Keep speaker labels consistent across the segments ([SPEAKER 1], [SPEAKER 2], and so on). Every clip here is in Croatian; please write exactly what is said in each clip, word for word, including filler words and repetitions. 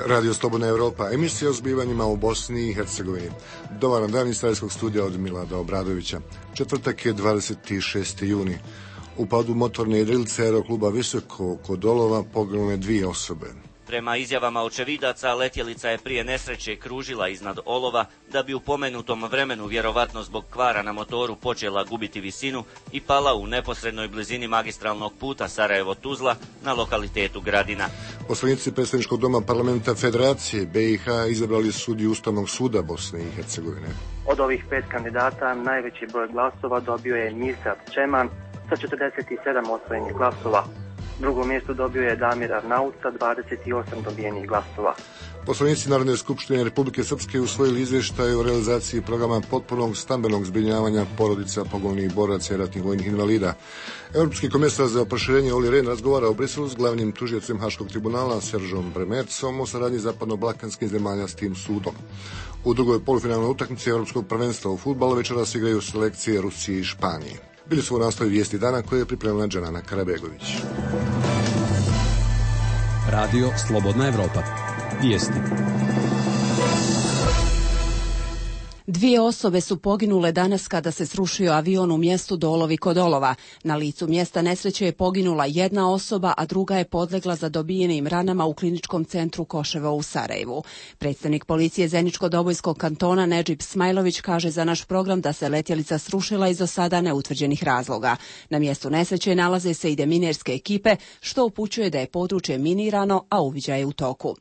[SPEAKER 1] Radio Slobodna Evropa, emisija o zbivanjima u Bosni i Hercegovini. Dobar dan iz Starskog studija od Milada Obradovića. Četvrtak je dvadeset šesti juni. U padu motorne jedrilice aerokluba Visoko kod Olova poginule dvije osobe.
[SPEAKER 2] Prema izjavama očevidaca, letjelica je prije nesreće kružila iznad Olova da bi u pomenutom vremenu vjerovatno zbog kvara na motoru počela gubiti visinu i pala u neposrednoj blizini magistralnog puta Sarajevo-Tuzla na lokalitetu Gradina.
[SPEAKER 1] Poslanici Predstavničkog doma Parlamenta Federacije B i H izabrali sudiju Ustavnog suda Bosne i Hercegovine.
[SPEAKER 3] Od ovih pet kandidata najveći broj glasova dobio je Mirsad Čeman sa četrdeset sedam osvojenih glasova. Drugo mjesto dobio je Damir Arnaut sa dvadeset osam dobijenih glasova.
[SPEAKER 1] Poslanici Narodne skupštine Republike Srpske usvojili izvještaj o realizaciji programa potpunog stambenog zbrinjavanja porodica poginulih boraca i ratnih vojnih invalida. Europski komesar za proširenje Olli Rehn razgovara u Briselu s glavnim tužiocem Haškog tribunala Seržom Bremercom o saradnji zapadno-balkanskih zemalja s tim sudom. U drugoj polufinalnoj utakmici Europskog prvenstva u fudbalu večeras igraju selekcije Rusije i Španije. Bili su u nastavi vijesti dana koje je pripremila Džanana Karabegović.
[SPEAKER 4] Radio Slobodna Evropa. Vijesti.
[SPEAKER 5] Dvije osobe su poginule danas kada se srušio avion u mjestu Dolovi kod Olova. Na licu mjesta nesreće je poginula jedna osoba, a druga je podlegla zadobijenim ranama u kliničkom centru Koševo u Sarajevu. Predstavnik policije Zeničko-Dobojskog kantona Nedžib Smajlović kaže za naš program da se letjelica srušila iz do sada neutvrđenih razloga. Na mjestu nesreće nalaze se i deminerske ekipe, što upućuje da je područje minirano, a uviđaj je u toku.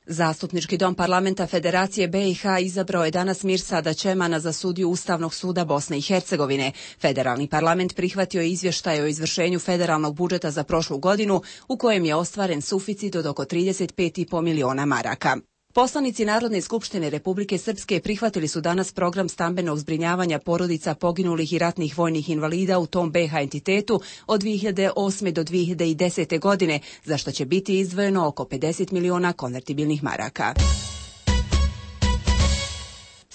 [SPEAKER 5] Zastupnički dom Parlamenta Federacije B i H izabrao je danas Mirsada Čemana za sudiju Ustavnog suda Bosne i Hercegovine. Federalni parlament prihvatio je izvještaj o izvršenju federalnog budžeta za prošlu godinu, u kojem je ostvaren suficit od oko trideset pet i po miliona maraka. Poslanici Narodne skupštine Republike Srpske prihvatili su danas program stambenog zbrinjavanja porodica poginulih i ratnih vojnih invalida u tom B H entitetu od dvije hiljade osme do dvije hiljade desete godine, za što će biti izdvojeno oko pedeset miliona konvertibilnih maraka.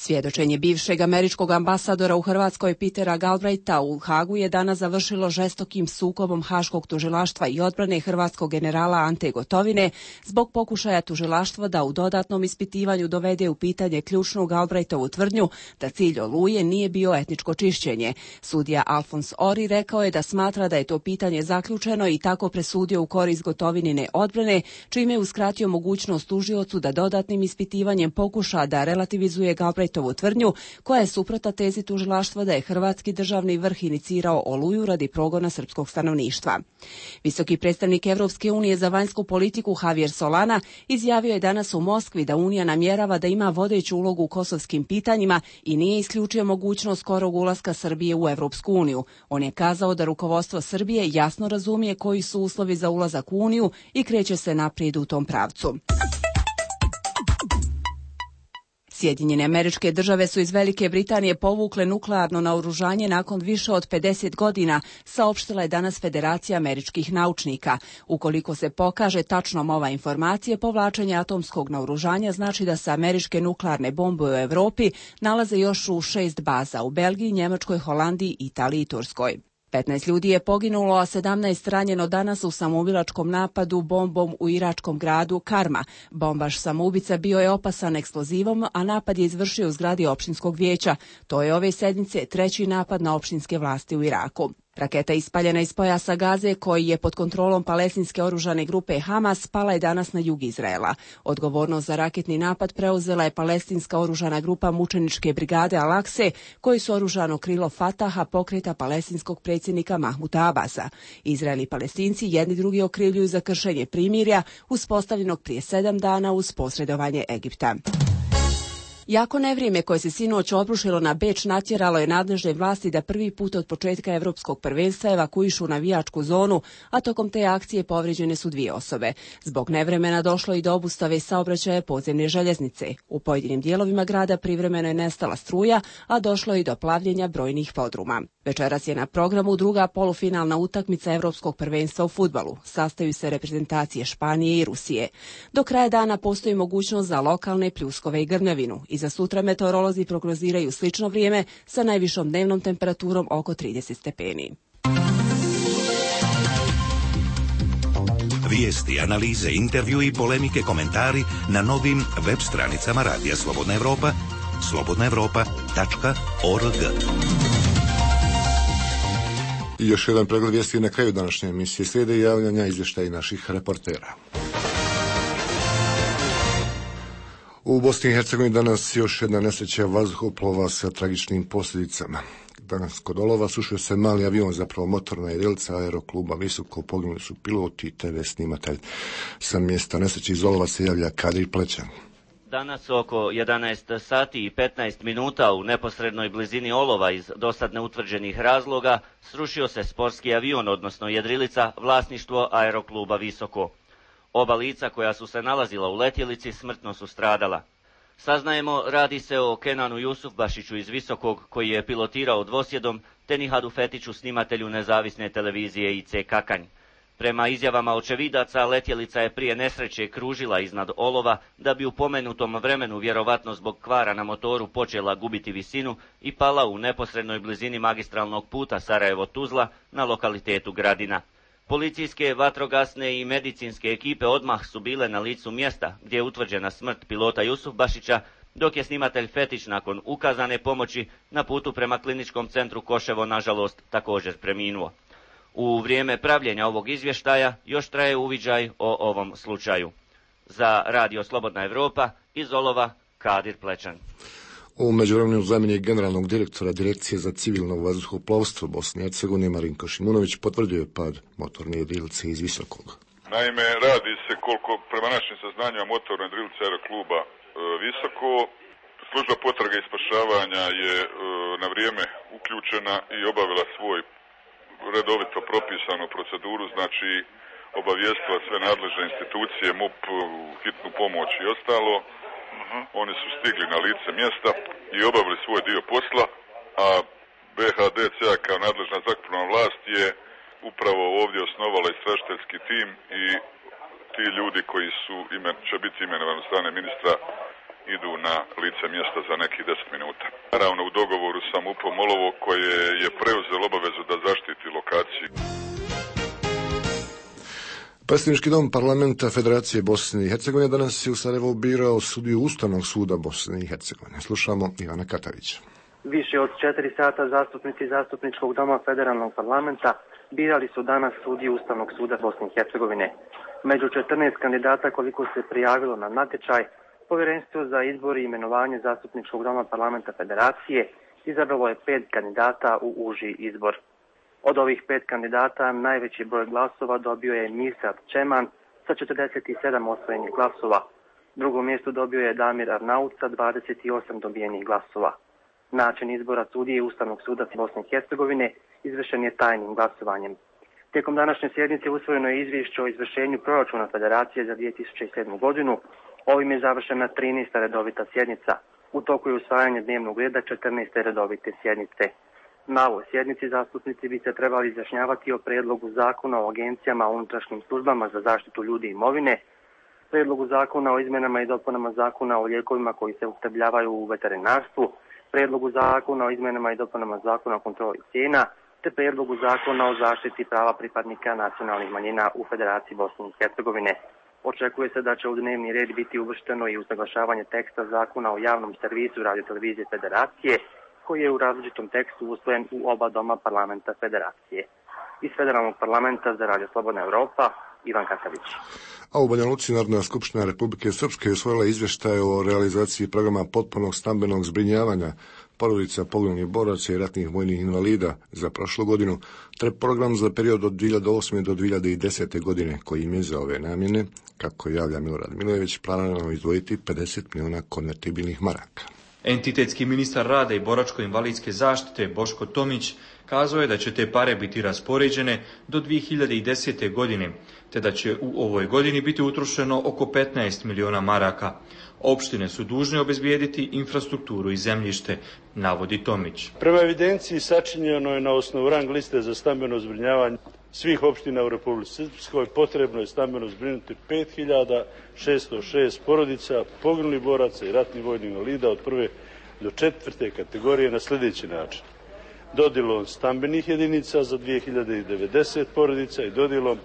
[SPEAKER 5] Svjedočenje bivšeg američkog ambasadora u Hrvatskoj Petera Galbraitha u Hagu je danas završilo žestokim sukobom Haškog tužilaštva i odbrane hrvatskog generala Ante Gotovine zbog pokušaja tužilaštva da u dodatnom ispitivanju dovede u pitanje ključnu Galbraithovu tvrdnju da cilj Oluje nije bio etničko čišćenje. Sudija Alfons Ori rekao je da smatra da je to pitanje zaključeno i tako presudio u korist Gotovinine odbrane, čime je uskratio mogućnost tužiocu da dodatnim ispitivanjem pokuša da relativizuje Galbraithovu tvrdnju, koja je suprotna tezi tužilaštva da je hrvatski državni vrh inicirao Oluju radi progona srpskog stanovništva. Visoki predstavnik Evropske unije za vanjsku politiku Javier Solana izjavio je danas u Moskvi da Unija namjerava da ima vodeću ulogu u kosovskim pitanjima i nije isključio mogućnost skorog ulaska Srbije u Evropsku uniju. On je kazao da rukovodstvo Srbije jasno razumije koji su uslovi za ulazak u Uniju i kreće se naprijed u tom pravcu. Sjedinjene Američke Države su iz Velike Britanije povukle nuklearno naoružanje nakon više od pedeset godina, saopštila je danas Federacija američkih naučnika. Ukoliko se pokaže tačnom ova informacija, povlačenje atomskog naoružanja znači da se američke nuklearne bombe u Europi nalaze još u šest baza u Belgiji, Njemačkoj, Holandiji, Italiji i Turskoj. petnaest ljudi je poginulo, a sedamnaest ranjeno danas u samoubilačkom napadu bombom u iračkom gradu Karma. Bombaš samoubica bio je opasan eksplozivom, a napad je izvršio u zgradi opštinskog vijeća. To je ove sedmice treći napad na opštinske vlasti u Iraku. Raketa ispaljena iz pojasa Gaze, koji je pod kontrolom palestinske oružane grupe Hamas, pala je danas na jug Izraela. Odgovornost za raketni napad preuzela je palestinska oružana grupa mučeničke brigade Al-Akse, koji su oružano krilo Fataha, pokreta palestinskog predsjednika Mahmuda Abasa. Izrael i Palestinci jedni drugi okrivljuju za kršenje primirja uspostavljenog prije sedam dana uz posredovanje Egipta. Jako nevrijeme koje se sinoć obrušilo na Beč natjeralo je nadležne vlasti da prvi put od početka Evropskog prvenstva evakuišu navijačku zonu, a tokom te akcije povrijeđene su dvije osobe. Zbog nevremena došlo i do obustave saobraćaja podzemne željeznice. U pojedinim dijelovima grada privremeno je nestala struja, a došlo je i do plavljenja brojnih podruma. Večeras je na programu druga polufinalna utakmica Evropskog prvenstva u fudbalu. Sastaju se reprezentacije Španije i Rusije. Do kraja dana postoji mogućnost za lokalne pljuskove i grmljavinu. I za sutra meteorolozi prognoziraju slično vrijeme sa najvišom dnevnom temperaturom oko trideset stepeni.
[SPEAKER 6] Vijesti, analize, intervju i polemike, komentari na novim web stranicama Radija Slobodna Evropa, slobodna evropa tačka org.
[SPEAKER 1] I još jedan pregled vijesti na kraju današnje emisije. Slijede javljanja izvještaja naših reportera. U Bosni i Hercegovini danas još jedna nesreća vazduhoplova sa tragičnim posljedicama. Danas kod Olova srušio se mali avion, zapravo motorna jedilica aerokluba Visoko, poginuli su pilot i te ve snimatelj. Sa mjesta nesreće iz Olova se javlja Kadir Plećan.
[SPEAKER 2] Danas oko jedanaest sati i petnaest minuta u neposrednoj blizini Olova iz dosad neutvrđenih razloga srušio se sportski avion, odnosno jedrilica, vlasništvo aerokluba Visoko. Oba lica koja su se nalazila u letjelici smrtno su stradala. Saznajemo, radi se o Kenanu Jusufbašiću iz Visokog, koji je pilotirao dvosjedom, te Nihadu Fetiću, snimatelju nezavisne televizije I C Kakanj. Prema izjavama očevidaca, letjelica je prije nesreće kružila iznad Olova, da bi u pomenutom vremenu, vjerovatno zbog kvara na motoru, počela gubiti visinu i pala u neposrednoj blizini magistralnog puta Sarajevo-Tuzla na lokalitetu Gradina. Policijske, vatrogasne i medicinske ekipe odmah su bile na licu mjesta gdje je utvrđena smrt pilota Jusufbašića, dok je snimatelj Fetić nakon ukazane pomoći na putu prema kliničkom centru Koševo nažalost također preminuo. U vrijeme pravljenja ovog izvještaja još traje uviđaj o ovom slučaju. Za Radio Slobodna Evropa iz Olova, Kadir Plećan.
[SPEAKER 1] U međuvremenu zamjenik generalnog direktora Direkcije za civilno vazduhoplovstvo Bosne i Hercegovine Marinko Šimunović potvrdio je pad motorne jedrilice iz Visokog.
[SPEAKER 7] Naime, radi se koliko prema našim saznanjima motorne jedrilice aerokluba e, Visoko. Služba potrage i spašavanja je e, na vrijeme uključena i obavila svoj redovito propisanu proceduru, znači obavijestila sve nadležne institucije, M U P, hitnu pomoć i ostalo. Uh-huh. Oni su stigli na lice mjesta i obavili svoj dio posla, a B H D C kao nadležna zrakoplovna vlast je upravo ovdje osnovala istražiteljski tim i ti ljudi koji su imen, će biti imenovani od strane ministra idu na lice mjesta za nekih deset minuta. Naravno u dogovoru sa M U P-om Olovo koje je preuzelo obavezu da zaštiti lokaciju.
[SPEAKER 1] Predstavnički dom parlamenta Federacije Bosne i Hercegovine danas je u Sarajevu birao sudiju Ustavnog suda Bosne i Hercegovine. Slušamo Ivana Katavića.
[SPEAKER 3] Više od četiri sata zastupnici Zastupničkog doma Federalnog parlamenta birali su danas sudiju Ustavnog suda Bosne i Hercegovine. Među četrnaest kandidata koliko se prijavilo na natječaj, Povjerenstvo za izbor i imenovanje Zastupničkog doma parlamenta Federacije izabralo je pet kandidata u uži izbor. Od ovih pet kandidata najveći broj glasova dobio je Mirsad Čeman sa četrdeset sedam osvojenih glasova. Drugo mjesto dobio je Damir Arnaut sa dvadeset osam dobijenih glasova. Način izbora sudije Ustavnog suda Bosne i Hercegovine izvršen je tajnim glasovanjem. Tijekom današnje sjednice usvojeno je izvješće o izvršenju proračuna Federacije za dvije tisuće sedmu godinu. Ovim je završena trinaesta redovita sjednica. U toku je usvajanje dnevnog reda četrnaeste redovite sjednice. Na ovoj sjednici zastupnici bi se trebali izjašnjavati o prijedlogu zakona o agencijama o unutrašnjim službama za zaštitu ljudi i imovine, prijedlogu zakona o izmjenama i dopunama zakona o lijekovima koji se upotrebljavaju u veterinarstvu, prijedlogu zakona o izmjenama i dopunama zakona o kontroli cijena, te prijedlogu zakona o zaštiti prava pripadnika nacionalnih manjina u Federaciji Bosne i Hercegovine. Očekuje se da će u dnevni red biti uvršteno i usaglašavanje teksta zakona o javnom servisu radiotelevizije Federacije, koji je u različitom tekstu usvojen u oba doma parlamenta Federacije. Iz Federalnog parlamenta za Radio Slobodna Evropa, Ivan Katavić.
[SPEAKER 1] A u Banja Luci Narodna skupština Republike Srpske je usvojila izvještaj o realizaciji programa potpunog stambenog zbrinjavanja porodica poginulih boraca i ratnih vojnih invalida za prošlu godinu, te program za period od dvije hiljade osme do dvije hiljade desete godine, koji im je za ove namjene, kako javlja Milorad Milojević, planirano izdvojiti pedeset milijuna konvertibilnih maraka.
[SPEAKER 8] Entitetski ministar rada i boračko-invalidske zaštite Boško Tomić kazao je da će te pare biti raspoređene do dvije hiljade desete godine, te da će u ovoj godini biti utrošeno oko petnaest milijuna maraka. Opštine su dužne obezbijediti infrastrukturu i zemljište, navodi Tomić.
[SPEAKER 9] Prema evidenciji sačinjeno je na osnovu rang liste za stambeno zbrinjavanje svih opština u Republici Srpskoj potrebno je stambeno zbrinuti pet hiljada šesto šest porodica poginulih boraca i ratnih vojnih invalida od prve do četvrte kategorije na sljedeći način. Dodjelom stambenih jedinica za dvije hiljade devedeset porodica i dodjelom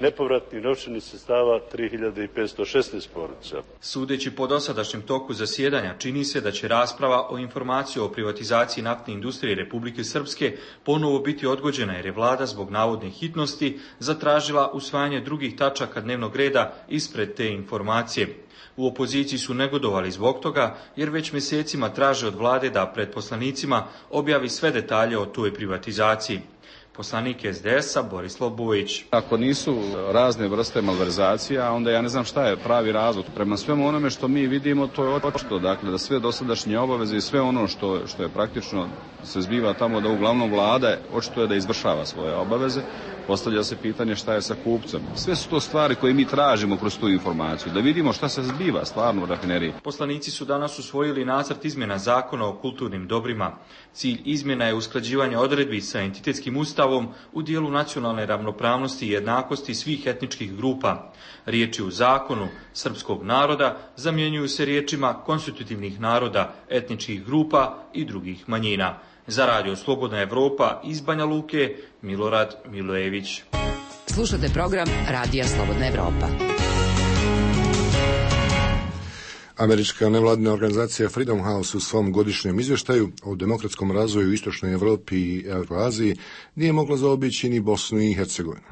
[SPEAKER 9] nepovratnih novčanih sredstava tri hiljade petsto šesnaest porodica.
[SPEAKER 8] Sudeći po dosadašnjem toku zasjedanja, čini se da će rasprava o informaciji o privatizaciji naftne industrije Republike Srpske ponovo biti odgođena jer je vlada zbog navodne hitnosti zatražila usvajanje drugih tačaka dnevnog reda ispred te informacije. U opoziciji su negodovali zbog toga jer već mjesecima traže od vlade da pred poslanicima objavi sve detalje o toj privatizaciji. Poslanik es de es a Borislav Bojić.
[SPEAKER 10] Ako nisu razne vrste malverzacija, onda ja ne znam šta je pravi razlog. Prema svemu onome što mi vidimo, to je očito, dakle, da sve dosadašnje obaveze i sve ono što, što je praktično se zbiva tamo, da uglavnom vlada očito je da izvršava svoje obaveze. Postavlja se pitanje šta je sa kupcem. Sve su to stvari koje mi tražimo kroz tu informaciju, da vidimo šta se zbiva stvarno u rafineriji.
[SPEAKER 8] Poslanici su danas usvojili nacrt izmjena zakona o kulturnim dobrima. Cilj izmjena je usklađivanje odredbi sa entitetskim ustavom u dijelu nacionalne ravnopravnosti i jednakosti svih etničkih grupa. Riječi u zakonu srpskog naroda zamjenjuju se riječima konstitutivnih naroda, etničkih grupa i drugih manjina. Za Radio Slobodna Evropa iz Banja Luke, Milorad Milojević.
[SPEAKER 11] Slušate program Radija Slobodna Evropa.
[SPEAKER 1] Američka nevladina organizacija Freedom House u svom godišnjem izvještaju o demokratskom razvoju u Istočnoj Evropi i Euroaziji nije mogla zaobići ni Bosnu i Hercegovinu.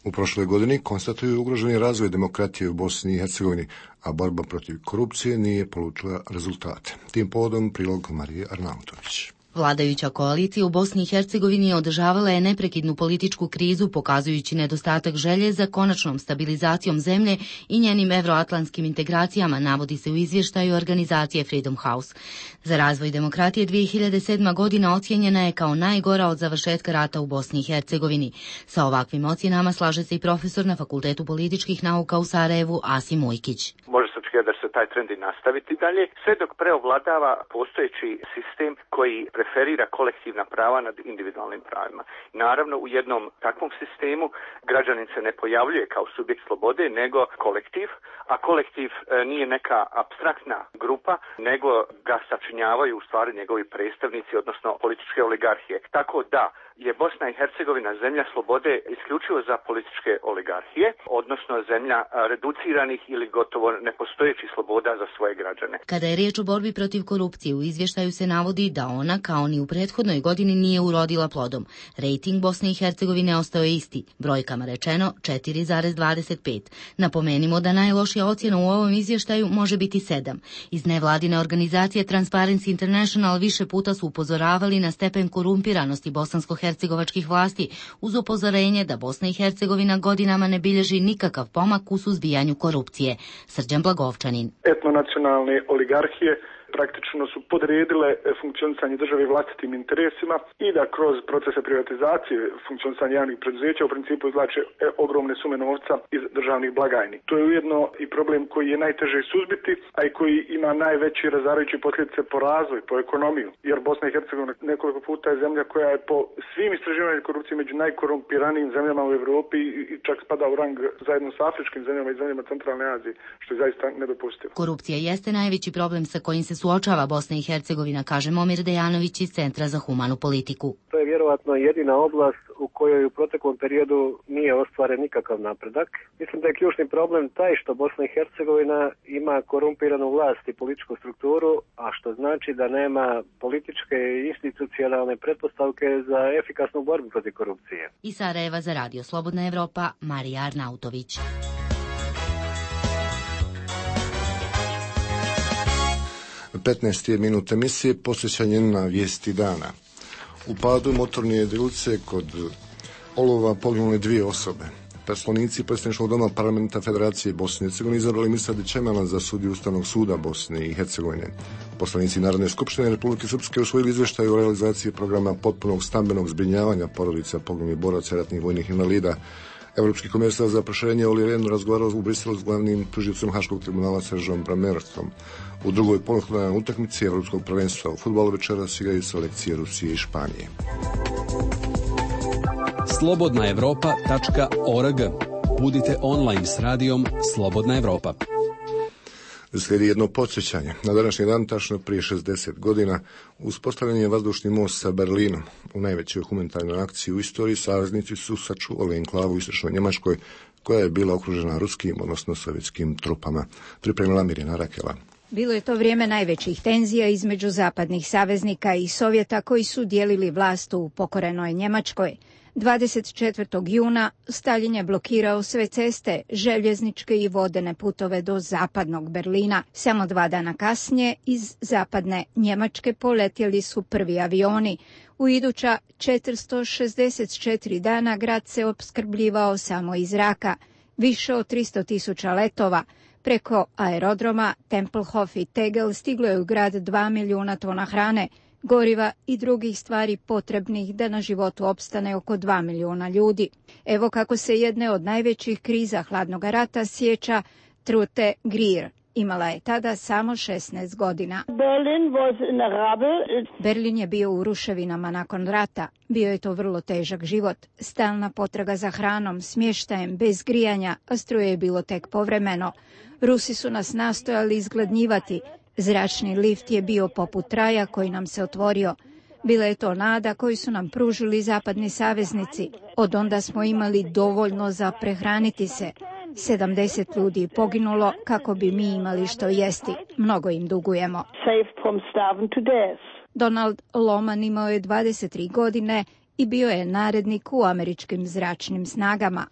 [SPEAKER 1] U prošloj godini konstatuju ugroženi razvoj demokratije u Bosni i Hercegovini, a borba protiv korupcije nije polučila rezultate. Tim povodom prilog Marije Arnautović.
[SPEAKER 12] Vladajuća koalicija u Bosni i Hercegovini održavala je neprekidnu političku krizu, pokazujući nedostatak želje za konačnom stabilizacijom zemlje i njenim evroatlantskim integracijama, navodi se u izvještaju organizacije Freedom House. Za razvoj demokratije dvije hiljade sedma. godina ocijenjena je kao najgora od završetka rata u Bosni i Hercegovini. Sa ovakvim ocjenama slaže se i profesor na Fakultetu političkih nauka u Sarajevu Asim Ujkić.
[SPEAKER 13] Može se očekivati da se taj trend i nastaviti dalje, sve dok preovladava postojeći sistem koji preferira kolektivna prava nad individualnim pravima. Naravno, u jednom takvom sistemu građanin se ne pojavljuje kao subjekt slobode, nego kolektiv, a kolektiv nije neka apstraktna grupa, nego ga sačinjavaju u stvari njegovi predstavnici, odnosno političke oligarhije. Tako da je Bosna i Hercegovina zemlja slobode isključivo za političke oligarhije, odnosno zemlja reduciranih ili gotovo nepostojećih sloboda za svoje građane.
[SPEAKER 12] Kada je riječ o borbi protiv korupcije, u izvještaju se navodi da ona, kao ni u prethodnoj godini, nije urodila plodom. Rejting Bosne i Hercegovine ostao je isti, brojkama rečeno četiri zarez dvadeset pet. Napomenimo da najlošija ocjena u ovom izvještaju može biti sedam. Iz nevladine organizacije Transparency International više puta su upozoravali na stepen korumpiranosti bosansko-hercegovačkih vlasti, uz upozorenje da Bosna i Hercegovina godinama ne bilježi nikakav pomak u suzbijanju korupcije. Srđan Blagovčanin.
[SPEAKER 14] Etnonacionalne oligarhije praktično su podredile funkcionisanje države vlastitim interesima i da kroz procese privatizacije funkcionisanja javnih preduzeća u principu izvlače ogromne sume novca iz državnih blagajni. To je ujedno i problem koji je najteže suzbiti, a i koji ima najveće razarajuće posljedice po razvoj, po ekonomiju, jer Bosna i Hercegovina nekoliko puta je zemlja koja je po svim istraživanjima korupcije među najkorumpiranijim zemljama u Europi i čak spada u rang zajedno s afričkim zemljama i zemljama centralne Azije, što je zaista nedopustivo.
[SPEAKER 12] Korupcija jeste najveći problem sa kojim se suočava Bosna i Hercegovina, kaže Momir Dejanović iz Centra za humanu politiku.
[SPEAKER 15] To je vjerovatno jedina oblast u kojoj u proteklom periodu nije ostvaren nikakav napredak. Mislim da je ključni problem taj što Bosna i Hercegovina ima korumpiranu vlast i političku strukturu, a što znači da nema političke i institucionalne pretpostavke za efikasnu borbu protiv korupcije.
[SPEAKER 12] Iz Sarajeva za Radio Slobodna Evropa, Marija Arnautović.
[SPEAKER 1] petnaest minut emisije posvećanje na vijesti dana. U padu motorne jedrilice kod Olova poginule dvije osobe. Poslanici Predstavničkog doma Parlamenta Federacije Bosne i Hercegovine izabrali Mirsada Čemana za sudiju Ustavnog suda Bosne i Hercegovine. Poslanici Narodne skupštine Republike Srpske usvojili izvještaj o realizaciji programa potpunog stambenog zbrinjavanja porodica poginulih boraca i ratnih vojnih invalida. Evropski komesar za proširenje Olli Rehn razgovarao u Briselu s glavnim tužicom Haškog tribunala Seržom Bramercom. U drugoj polufinalu utakmici Evropskog prvenstva u fudbalu večeras igraju selekcije Rusije i Španije.
[SPEAKER 4] slobodna evropa tačka org. Budite online s radijom Slobodna Evropa.
[SPEAKER 1] Slijedi jedno podsjećanje. Na današnji dan, tačno prije šezdeset godina, uspostavljen je vazdušni most sa Berlinom. U najvećoj humanitarnoj akciji u istoriji saveznici su sačuvali enklavu u istočnoj Njemačkoj koja je bila okružena ruskim, odnosno sovjetskim trupama. Pripremila Mirjana Rakela.
[SPEAKER 16] Bilo je to vrijeme najvećih tenzija između zapadnih saveznika i Sovjeta koji su dijelili vlast u pokorenoj Njemačkoj. dvadeset četvrtog juna Staljin je blokirao sve ceste, željezničke i vodene putove do zapadnog Berlina. Samo dva dana kasnije iz zapadne Njemačke poletjeli su prvi avioni. U iduća četiristo šezdeset četiri dana grad se opskrbljivao samo iz zraka. Više od tristo tisuća letova. Preko aerodroma Tempelhof i Tegel stiglo je u grad dva milijuna tona hrane, goriva i drugih stvari potrebnih da na životu opstane oko dva milijuna ljudi. Evo kako se jedne od najvećih kriza hladnog rata sjeća Trute Grier. Imala je tada samo šesnaest godina.
[SPEAKER 17] Berlin, was in a rubble.
[SPEAKER 16] Berlin je bio u ruševinama nakon rata. Bio je to vrlo težak život. Stalna potraga za hranom, smještajem, bez grijanja, a struje je bilo tek povremeno. Rusi su nas nastojali izgladnjivati. Zračni lift je bio poput raja koji nam se otvorio. Bila je to nada koju su nam pružili zapadni saveznici. Od onda smo imali dovoljno za prehraniti se. sedamdeset ljudi je poginulo kako bi mi imali što jesti. Mnogo im dugujemo. Donald Loman imao je dvadeset tri godine i bio je narednik u američkim zračnim snagama.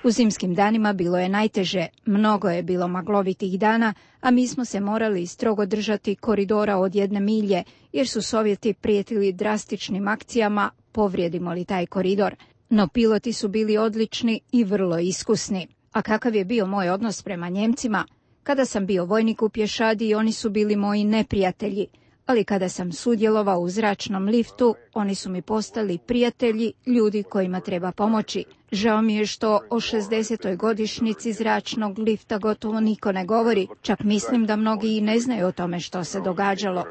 [SPEAKER 16] U zimskim danima bilo je najteže, mnogo je bilo maglovitih dana, a mi smo se morali strogo držati koridora od jedne milje, jer su Sovjeti prijetili drastičnim akcijama, povrijedimo li taj koridor. No piloti su bili odlični i vrlo iskusni. A kakav je bio moj odnos prema Njemcima? Kada sam bio vojnik u pješadi, oni su bili moji neprijatelji. Ali kada sam sudjelovao u zračnom liftu, oni su mi postali prijatelji, ljudi kojima treba pomoći. Žao mi je što o šezdesetoj godišnjici zračnog lifta gotovo niko ne govori. Čak mislim da mnogi i ne znaju o tome što se događalo.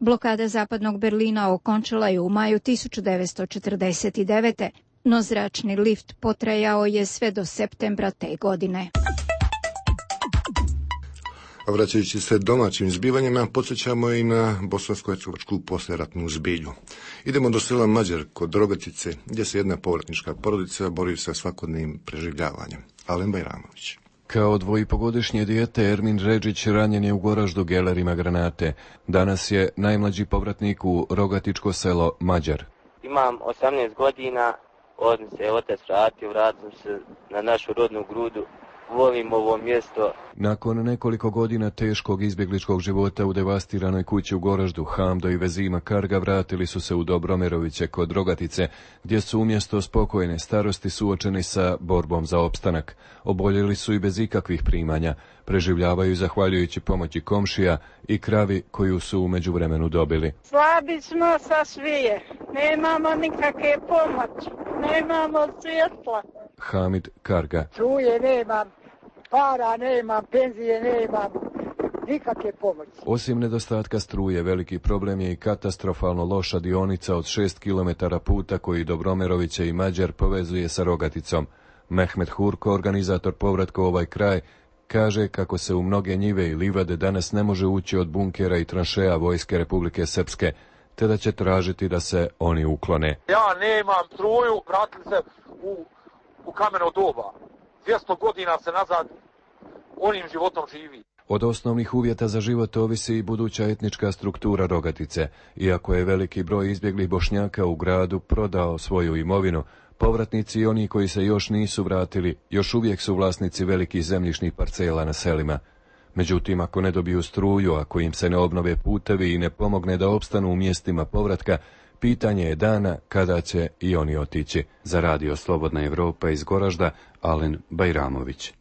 [SPEAKER 16] Blokada zapadnog Berlina okončala je u maju tisuću devetsto četrdeset devete. No zračni lift potrajao je sve do septembra te godine.
[SPEAKER 1] Vraćajući se domaćim zbivanjima, podsjećamo i na bosansko-hercegovačku poslijeratnu zbilju. Idemo do sela Mađar kod Rogatice, gdje se jedna povratnička porodica bori sa svakodnevnim preživljavanjem. Alen Bajramović.
[SPEAKER 18] Kao dvojipogodišnje dijete Ermin Redžić ranjen je u Goraždu gelerima granate. Danas je najmlađi povratnik u Rogatičko selo Mađar.
[SPEAKER 19] Imam osamnaest godina, od mi se otac vratio, vratim se na našu rodnu grudu. Volim ovo mjesto.
[SPEAKER 18] Nakon nekoliko godina teškog izbjegličkog života u devastiranoj kući u Goraždu, Hamdo i Vezima Karga vratili su se u Dobromeroviće kod Rogatice, gdje su umjesto spokojne starosti suočeni sa borbom za opstanak. Oboljeli su i bez ikakvih primanja. Preživljavaju zahvaljujući pomoći komšija i kravi koju su u međuvremenu dobili.
[SPEAKER 17] Slabi smo sa svije. Nemamo nikakve pomoći. Nemamo svjetla.
[SPEAKER 18] Hamid Karga.
[SPEAKER 17] Struje nemam, para nemam, penzije nemam, nikakve pomoći.
[SPEAKER 18] Osim nedostatka struje, veliki problem je i katastrofalno loša dionica od šest kilometara puta koji Dobromeroviće i Mađar povezuje sa Rogaticom. Mehmet Hurko, organizator povratka u ovaj kraj, kaže kako se u mnoge njive i livade danas ne može ući od bunkera i tranšeja Vojske Republike Srpske, te da će tražiti da se oni uklone.
[SPEAKER 20] Ja nemam struju, vratili se u u kameno doba. dvjesto godina se nazad onim životom živi.
[SPEAKER 18] Od osnovnih uvjeta za život ovisi i buduća etnička struktura Rogatice. Iako je veliki broj izbjeglih Bošnjaka u gradu prodao svoju imovinu, povratnici i oni koji se još nisu vratili, još uvijek su vlasnici velikih zemljišnih parcela na selima. Međutim, ako ne dobiju struju, ako im se ne obnove putevi i ne pomogne da opstanu u mjestima povratka, pitanje je dana kada će i oni otići. Za Radio Slobodna Evropa iz Goražda, Alen Bajramović.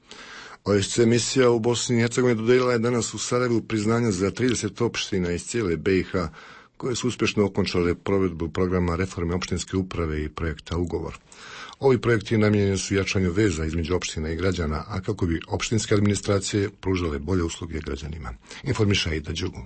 [SPEAKER 1] O S C misija u Bosni i Hercegovini dodijelila je danas u Sarajevu priznanja za trideset opština iz cijele B i H, koje su uspješno okončale provedbu programa reforme opštinske uprave i projekta Ugovor. Ovi projekti namijenjeni su jačanju veza između opština i građana, a kako bi opštinske administracije pružale bolje usluge građanima. Informiša Ida Đugu.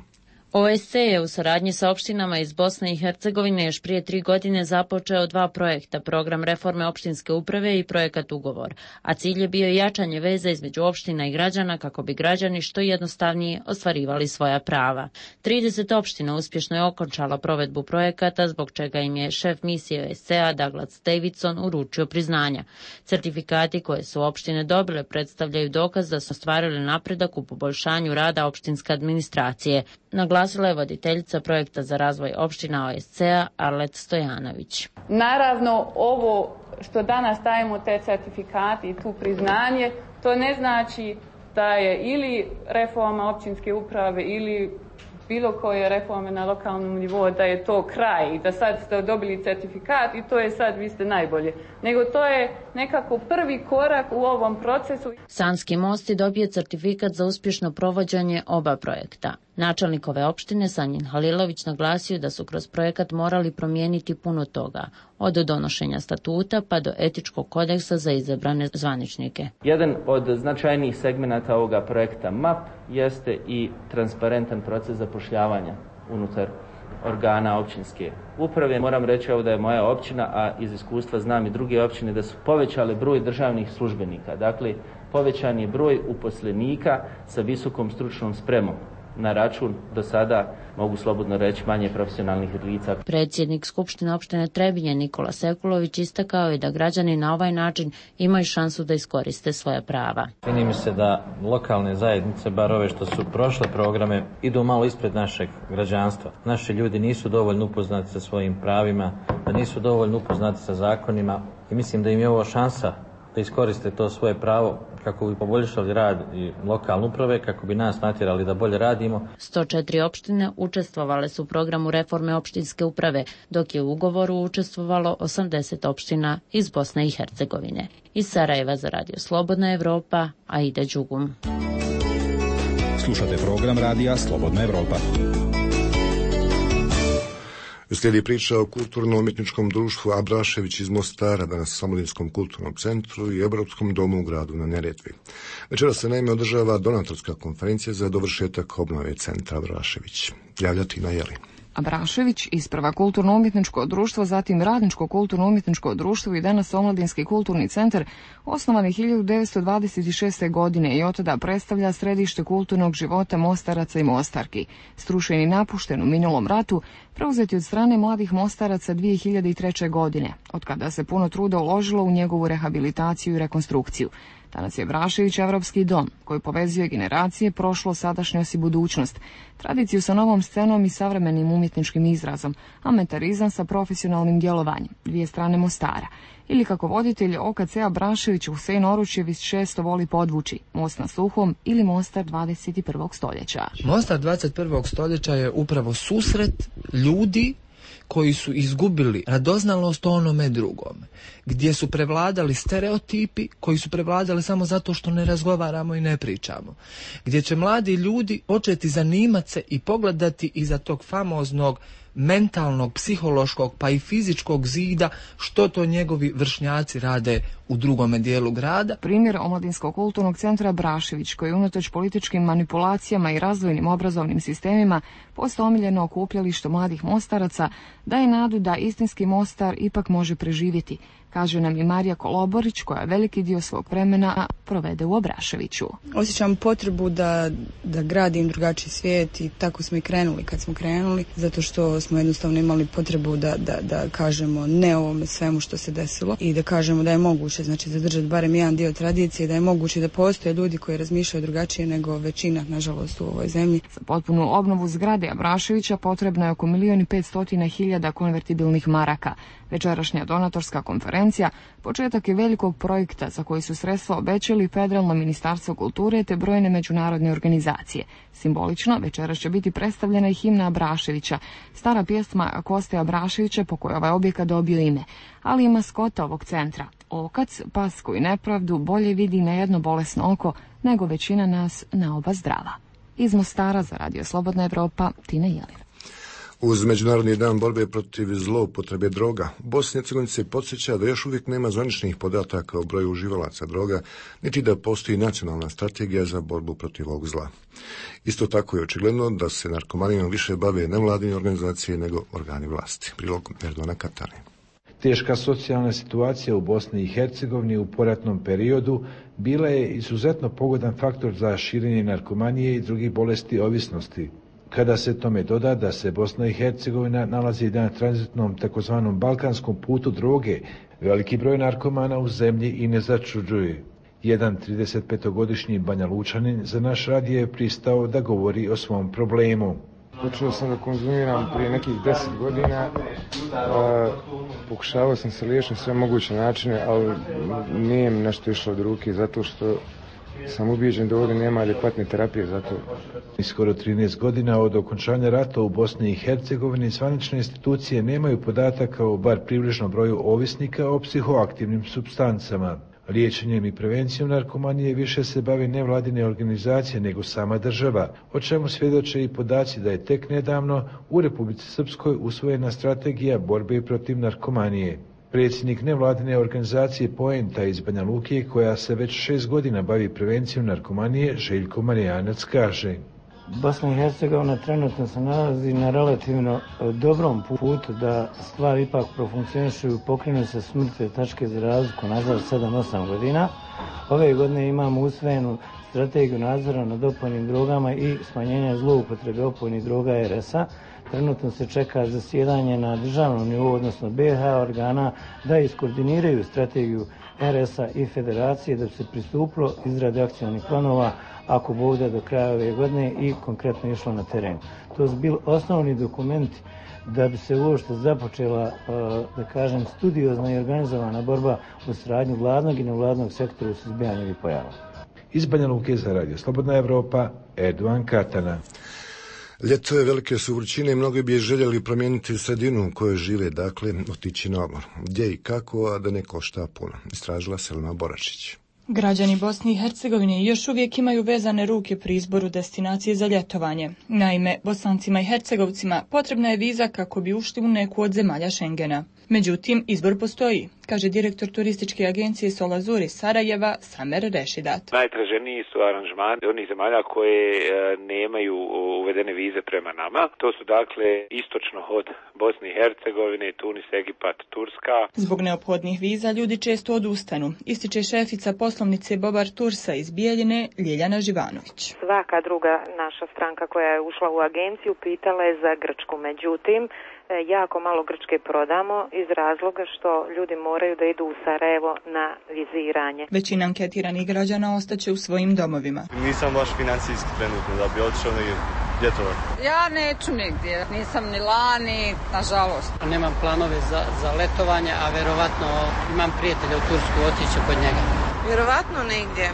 [SPEAKER 21] O S C je u saradnji sa opštinama iz Bosne i Hercegovine još prije tri godine započeo dva projekta, program reforme opštinske uprave i projekat Ugovor, a cilj je bio jačanje veze između opština i građana kako bi građani što jednostavnije ostvarivali svoja prava. trideset opština uspješno je okončalo provedbu projekata, zbog čega im je šef misije O S C-a Douglas Davidson uručio priznanja. Certifikati koje su opštine dobile predstavljaju dokaz da su ostvarili napredak u poboljšanju rada opštinske administracije. Naglasila je voditeljica projekta za razvoj opština O S C-a Arlet Stojanović.
[SPEAKER 22] Naravno, ovo što danas dajemo te certifikati i tu priznanje, to ne znači da je ili reforma općinske uprave ili bilo koje reforme na lokalnom nivou, da je to kraj i da sad ste dobili certifikat i to je sad, vi ste najbolje. Nego to je nekako prvi korak u ovom procesu.
[SPEAKER 21] Sanski most je dobio certifikat za uspješno provođenje oba projekta. Načelnik ove opštine Sanjin Halilović naglasio da su kroz projekat morali promijeniti puno toga, od donošenja statuta pa do etičkog kodeksa za izabrane zvaničnike.
[SPEAKER 23] Jedan od značajnijih segmenata ovoga projekta M A P jeste i transparentan proces zapošljavanja unutar organa općinske uprave. Moram reći ovdje da je moja općina, a iz iskustva znam i druge općine, da su povećale broj državnih službenika. Dakle, povećan je broj uposlenika sa visokom stručnom spremom na račun do sada, mogu slobodno reći, manje profesionalnih lica.
[SPEAKER 21] Predsjednik Skupštine opštine Trebinje Nikola Sekulović istakao je da građani na ovaj način imaju šansu da iskoriste svoja prava.
[SPEAKER 24] Čini mi se da lokalne zajednice, bar ove što su prošle programe, idu malo ispred našeg građanstva. Naši ljudi nisu dovoljno upoznati sa svojim pravima, da nisu dovoljno upoznati sa zakonima i mislim da im je ovo šansa da iskoriste to svoje pravo kako bi poboljšali rad i lokalne uprave, kako bi nas natjerali da bolje radimo.
[SPEAKER 21] sto četiri opštine učestvovale su u programu reforme opštinske uprave, dok je u ugovoru učestvovalo osamdeset opština iz Bosne i Hercegovine. Iz Sarajeva za Radio Slobodna Evropa, Aida Đugum.
[SPEAKER 25] Slušate program Radija Slobodna Evropa.
[SPEAKER 1] Slijedi priča o kulturno-umjetničkom društvu Abrašević iz Mostara, danas u Omladinskom kulturnom centru i Europskom domu u gradu na Neretvi. Večeras se naime održava donatorska konferencija za dovršetak obnove centra Abrašević. Javlja Tina Jelin.
[SPEAKER 26] Abrašević, isprva kulturno-umjetničko društvo, zatim Radničko kulturno-umjetničko društvo i danas Omladinski kulturni centar, osnovan je hiljadu devetsto dvadeset šeste. godine i od tada predstavlja središte kulturnog života Mostaraca i Mostarki. Strušen i napušten u minulom ratu, preuzeti od strane mladih Mostaraca dvije hiljade treće. godine, od kada se puno truda uložilo u njegovu rehabilitaciju i rekonstrukciju. Danas je Abrašević evropski dom koji povezuje generacije, prošlo, sadašnjost i budućnost, tradiciju sa novom scenom i savremenim umjetničkim izrazom, ametarizam sa profesionalnim djelovanjem, dvije strane Mostara. Ili kako voditelj O K C Abrašević Husein Oručević često voli podvući, most na Suhom ili Mostar dvadeset prvog stoljeća.
[SPEAKER 27] Mostar dvadeset prvog stoljeća je upravo susret ljudi koji su izgubili radoznalost o onome drugome, gdje su prevladali stereotipi koji su prevladali samo zato što ne razgovaramo i ne pričamo, gdje će mladi ljudi početi zanimati se i pogledati iza tog famoznog mentalnog, psihološkog pa i fizičkog zida što to njegovi vršnjaci rade u drugome dijelu grada.
[SPEAKER 26] Primjer Omladinskog kulturnog centra Abrašević, koji unatoč političkim manipulacijama i razvojnim obrazovnim sistemima postao omiljeno okupljalište mladih Mostaraca, daje nadu da istinski Mostar ipak može preživjeti, kaže nam i Marija Koloborić, koja veliki dio svog vremena provede u Abraševiću.
[SPEAKER 28] Osjećam potrebu da, da gradim drugačiji svijet i tako smo i krenuli kad smo krenuli, zato što smo jednostavno imali potrebu da, da, da kažemo ne ovome svemu što se desilo i da kažemo da je moguće, znači zadržati barem jedan dio tradicije, da je moguće da postoje ljudi koji razmišljaju drugačije nego većina, nažalost, u ovoj zemlji.
[SPEAKER 26] Za potpunu obnovu zgrade Abraševića potrebno je oko milijon i petstotina hiljada konvertibilnih maraka. Večerašnja donatorska konferencija početak je velikog projekta za koji su sredstva obećali Federalno ministarstvo kulture te brojne međunarodne organizacije. Simbolično večeras će biti predstavljena i himna Abraševića, stara pjesma Koste Abraševića po kojoj ovaj objekat dobio ime, ali i maskota ovog centra. Okac, pas koji nepravdu bolje vidi na jedno bolesno oko nego većina nas na oba zdrava. Iz Mostara za Radio Slobodna Evropa, Tina Jelin.
[SPEAKER 1] Uz Međunarodni dan borbe protiv zloupotrebe droga, u Bosni i Hercegovini se podsjeća da još uvijek nema zvaničnih podataka o broju uživalaca droga, niti da postoji nacionalna strategija za borbu protiv ovog zla. Isto tako je očigledno da se narkomanijom više bave nevladine organizacije nego organi vlasti. Prilog Erdona Katani.
[SPEAKER 2] Teška socijalna situacija u Bosni i Hercegovini u poratnom periodu bila je izuzetno pogodan faktor za širenje narkomanije i drugih bolesti ovisnosti. Kada se tome doda da se Bosna i Hercegovina nalazi na tranzitnom takozvanom balkanskom putu droge, veliki broj narkomana u zemlji i ne začuđuje. Jedan tridesetpetogodišnji Banja Lučanin za naš radio je pristao da govori o svom problemu.
[SPEAKER 3] Počeo sam da konzumiram prije nekih deset godina, a, pokušavao sam se liječiti na sve moguće načine, ali nije mi nešto išlo od ruke zato što sam ubijeđen da ovdje nema adekvatne terapije za to.
[SPEAKER 2] Skoro trinaest godina od okončanja rata u Bosni i Hercegovini zvanične institucije nemaju podataka o bar približnom broju ovisnika o psihoaktivnim supstancama. Liječenjem i prevencijom narkomanije više se bave nevladine organizacije nego sama država, o čemu svjedoče i podaci da je tek nedavno u Republici Srpskoj usvojena strategija borbe protiv narkomanije. Predsjednik nevladine organizacije Poenta iz Banja Luke, koja se već šest godina bavi prevencijom narkomanije, Željko Marijanac kaže:
[SPEAKER 5] Bosna i Hercegovina trenutno se nalazi na relativno dobrom putu da stvari ipak profunkcionišu i pokrenu se s mrtve tačke za razliku nazad sedam osam godina. Ove godine imamo usvojenu strategiju nadzora nad opojnim drogama i smanjenja zloupotrebe opojnih droga er es a. Trenutno se čeka zasjedanje na državnom nivou, odnosno be ha organa, da iskoordiniraju strategiju er es a i federacije da bi se pristupilo izrade akcionih planova ako bude do kraja ove godine i konkretno išlo na teren. To su bili osnovni dokumenti da bi se uopšte započela, da kažem, studiozna i organizovana borba u saradnji vladnog i nevladnog sektora u suzbijanju ovih pojava.
[SPEAKER 2] Iz Banja Luke za radio Slobodna Evropa, Erdovan Katana.
[SPEAKER 1] Ljeto je, velike su vrućine i mnogi bi željeli promijeniti sredinu u kojoj žive, dakle otići na odmor. Gdje i kako, a da ne košta puno, istražila Selma Boračić.
[SPEAKER 6] Građani Bosne i Hercegovine još uvijek imaju vezane ruke pri izboru destinacije za ljetovanje. Naime, Bosancima i Hercegovcima potrebna je viza kako bi ušli u neku od zemalja Šengena. Međutim, izbor postoji, kaže direktor turističke agencije Solazur iz Sarajeva, Samer Rešidat.
[SPEAKER 7] Najtraženiji su aranžmani onih zemalja koje e, nemaju uvedene vize prema nama. To su dakle istočno od Bosne i Hercegovine, Tunis, Egipat, Turska.
[SPEAKER 6] Zbog neophodnih viza ljudi često odustanu, ističe šefica poslovnice Bobar Tursa iz Bijeljine, Ljeljana Živanović.
[SPEAKER 8] Svaka druga naša stranka koja je ušla u agenciju pitala je za Grčku, međutim jako malo Grčke prodamo iz razloga što ljudi moraju da idu u Sarajevo na viziranje.
[SPEAKER 6] Većina anketiranih građana ostaće u svojim domovima.
[SPEAKER 9] Nisam baš financijski trenutno da bi otišao negdje ljetovati.
[SPEAKER 10] Ja neću nigdje, nisam ni lani, nažalost.
[SPEAKER 29] Nemam planove za, za letovanje, a verovatno imam prijatelja u Tursku, otići kod njega.
[SPEAKER 30] Vjerovatno nigdje.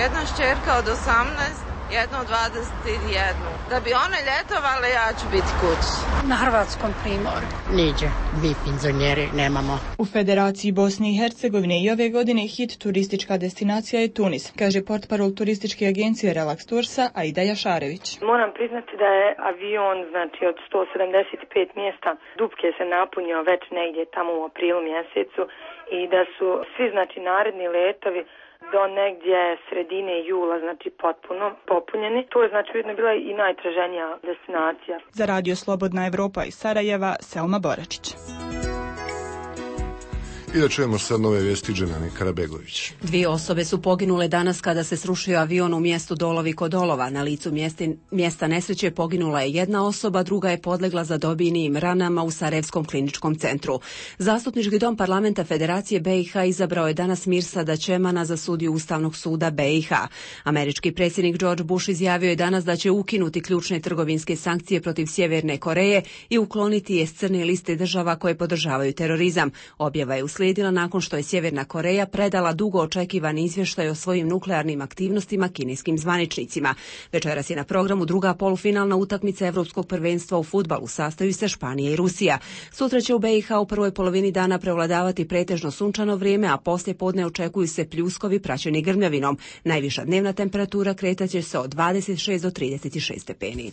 [SPEAKER 30] Jedna šćerka od osamnaest, jedno od dvadeset jedan. Da bi one ljetovale, ja ću biti kući.
[SPEAKER 10] Na hrvatskom primoru.
[SPEAKER 31] Niđe, mi penzioneri nemamo.
[SPEAKER 6] U Federaciji Bosne i Hercegovine i ove godine hit turistička destinacija je Tunis, kaže portparol turističke agencije Relax Toursa Aida Jašarević.
[SPEAKER 32] Moram priznati da je avion, znači od sto sedamdeset pet mjesta, dupke se napunio već negdje tamo u aprilu mjesecu i da su svi, znači, naredni letovi do negdje sredine jula, znači potpuno popunjeni. To je znači ujedno bila i najtraženija destinacija.
[SPEAKER 6] Za radio Slobodna Evropa iz Sarajeva, Selma Boračić.
[SPEAKER 1] I da čujemo sad nove vijesti Dženani Karabegović.
[SPEAKER 33] Dvije osobe su poginule danas kada se srušio avion u mjestu Dolovi kod Dolova. Na licu mjesti, mjesta nesreće poginula je jedna osoba, druga je podlegla zadobijenim ranama u Sarajevskom kliničkom centru. Zastupnički dom parlamenta Federacije be i ha izabrao je danas Mirsada Čemana za sudiju Ustavnog suda be i ha. Američki predsjednik George Bush izjavio je danas da će ukinuti ključne trgovinske sankcije protiv Sjeverne Koreje i ukloniti je s crne liste država koje podržavaju terorizam. Objava je uslijedila nakon što je Sjeverna Koreja predala dugo očekivani izvještaj o svojim nuklearnim aktivnostima kineskim zvaničnicima. Večeras je na programu druga polufinalna utakmica Evropskog prvenstva u fudbalu, sastaju se Španija i Rusija. Sutra će u be i ha u prvoj polovini dana prevladavati pretežno sunčano vrijeme, a poslije podne očekuju se pljuskovi praćeni grmljavinom. Najviša dnevna temperatura kretaće se od dvadeset šest do trideset šest stepeni.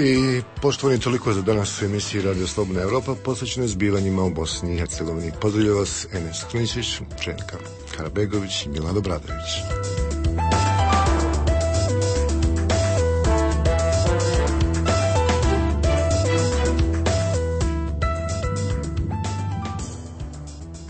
[SPEAKER 1] I poštovani, toliko za danas u emisiji Radio Slobodna Evropa posvećenoj zbivanjima u Bosni i Hercegovini. Pozdravlja vas Enes Kliničić, Četka Karabegović i Milan Obradović.